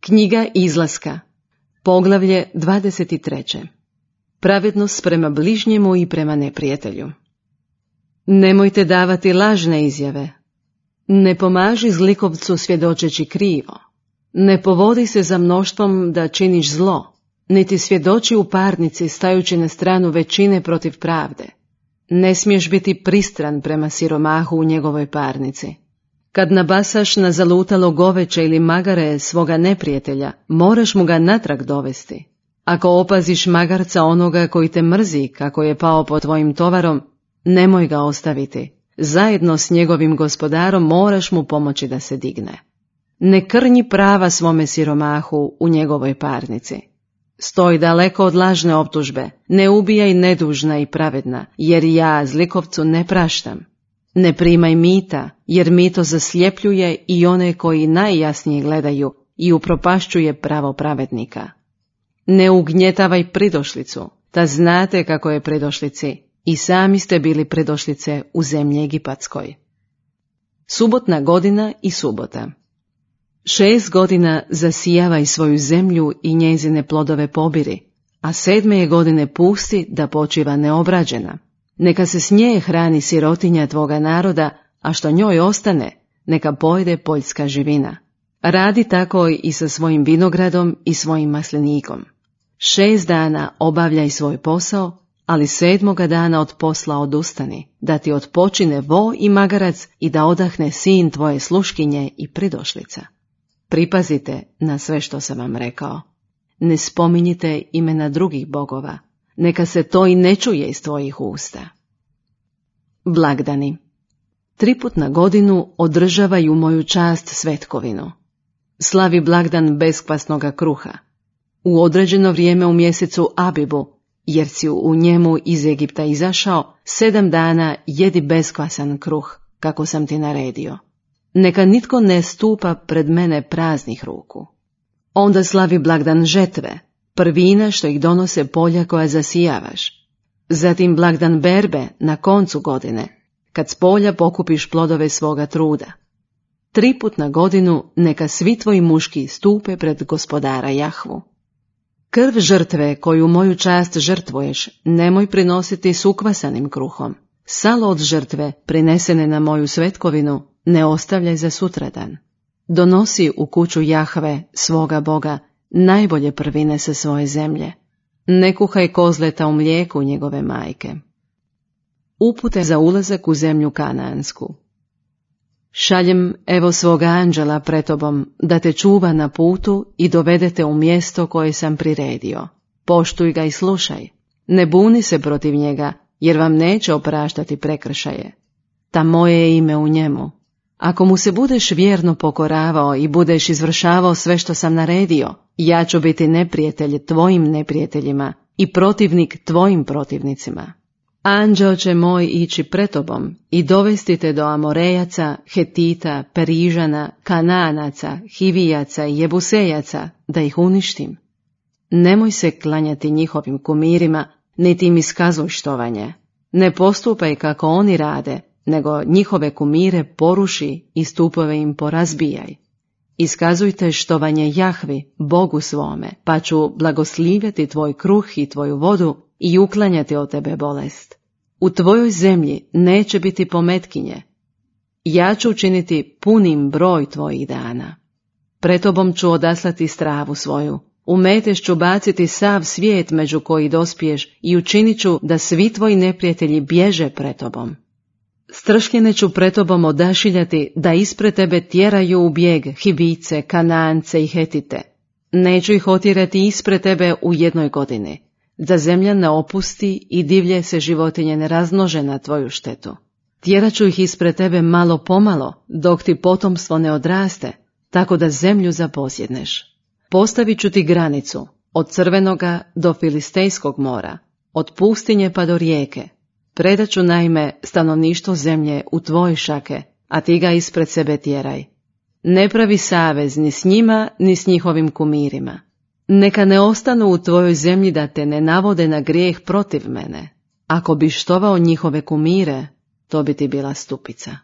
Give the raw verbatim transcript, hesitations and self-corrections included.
Knjiga Izlaska, poglavlje dvadeset tri. Pravednost prema bližnjemu i prema neprijatelju. Nemojte davati lažne izjave. Ne pomaži zlikovcu svjedočeći krivo. Ne povodi se za mnoštvom da činiš zlo, niti svjedoči u parnici stajući na stranu većine protiv pravde. Ne smiješ biti pristran prema siromahu u njegovoj parnici. Kad nabasaš na zalutalo goveće ili magare svoga neprijatelja, moraš mu ga natrag dovesti. Ako opaziš magarca onoga koji te mrzi kako je pao pod tvojim tovarom, nemoj ga ostaviti. Zajedno s njegovim gospodarom moraš mu pomoći da se digne. Ne krnji prava svome siromahu u njegovoj parnici. Stoj daleko od lažne optužbe, ne ubijaj nedužna i pravedna, jer ja zlikovcu ne praštam. Ne primaj mita, jer mito zasljepljuje i one koji najjasnije gledaju i upropašćuje pravo pravednika. Ne ugnjetavaj pridošlicu, ta znate kako je pridošlici, i sami ste bili pridošlice u zemlji Egipatskoj. Subotna godina i subota. Šest godina zasijavaj svoju zemlju i njezine plodove pobiri, a sedme je godine pusti da počiva neobrađena. Neka se s nje hrani sirotinja tvoga naroda, a što njoj ostane, neka pojede poljska živina. Radi tako i sa svojim vinogradom i svojim maslinikom. Šest dana obavljaj svoj posao, ali sedmoga dana od posla odustani, da ti odpočine vo i magarac i da odahne sin tvoje sluškinje i pridošlica. Pripazite na sve što sam vam rekao. Ne spominjite imena drugih bogova, neka se to i ne čuje iz tvojih usta. Blagdani. Triput na godinu održavaju moju čast svetkovinu. Slavi blagdan beskvasnoga kruha. U određeno vrijeme u mjesecu Abibu, jer si u njemu iz Egipta izašao, sedam dana jedi beskvasan kruh, kako sam ti naredio. Neka nitko ne stupa pred mene praznih ruku. Onda slavi blagdan žetve, prvina što ih donose polja koja zasijavaš. Zatim blagdan berbe na koncu godine, kad s polja pokupiš plodove svoga truda. Triput na godinu neka svi tvoji muški stupe pred gospodara Jahvu. Krv žrtve koju moju čast žrtvuješ nemoj prinositi s ukvasanim kruhom. Salo od žrtve prinesene na moju svetkovinu ne ostavljaj za sutradan. Donosi u kuću Jahve, svoga Boga, najbolje prvine sa svoje zemlje. Ne kuhaj kozleta u mlijeku njegove majke. Upute za ulazak u zemlju Kanaansku. Šaljem evo svoga anđela pred tobom, da te čuva na putu i dovedete u mjesto koje sam priredio. Poštuj ga i slušaj. Ne buni se protiv njega, jer vam neće opraštati prekršaje. Ta moje je ime u njemu. Ako mu se budeš vjerno pokoravao i budeš izvršavao sve što sam naredio, ja ću biti neprijatelj tvojim neprijateljima i protivnik tvojim protivnicima. Anđeo će moj ići pred tobom i dovesti te do Amorejaca, Hetita, Perižana, Kanaanaca, Hivijaca i Jebusejaca, da ih uništim. Nemoj se klanjati njihovim kumirima, niti im iskazuj štovanje. Ne postupaj kako oni rade, nego njihove kumire poruši i stupove im porazbijaj. Iskazujte štovanje Jahvi, Bogu svome, pa ću blagoslivjeti tvoj kruh i tvoju vodu i uklanjati od tebe bolest. U tvojoj zemlji neće biti pometkinje. Ja ću učiniti punim broj tvojih dana. Pred tobom ću odaslati stravu svoju. U metež ću baciti sav svijet među koji dospiješ i učinit ću da svi tvoji neprijatelji bježe pred tobom. Stršljene ću pred tobom odašiljati da ispred tebe tjeraju u bijeg Hivice, Kanaance i Hetite. Neću ih otjerati ispred tebe u jednoj godini, da zemlja ne opusti i divlje se životinje ne razmnože na tvoju štetu. Tjerat ću ih ispred tebe malo pomalo, dok ti potomstvo ne odraste, tako da zemlju zaposjedneš. Postavit ću ti granicu, od Crvenoga do Filistejskog mora, od pustinje pa do rijeke. Predat ću naime stanovništvo zemlje u tvoje šake, a ti ga ispred sebe tjeraj. Ne pravi savez ni s njima, ni s njihovim kumirima. Neka ne ostanu u tvojoj zemlji da te ne navode na grijeh protiv mene. Ako bi štovao njihove kumire, to bi ti bila stupica.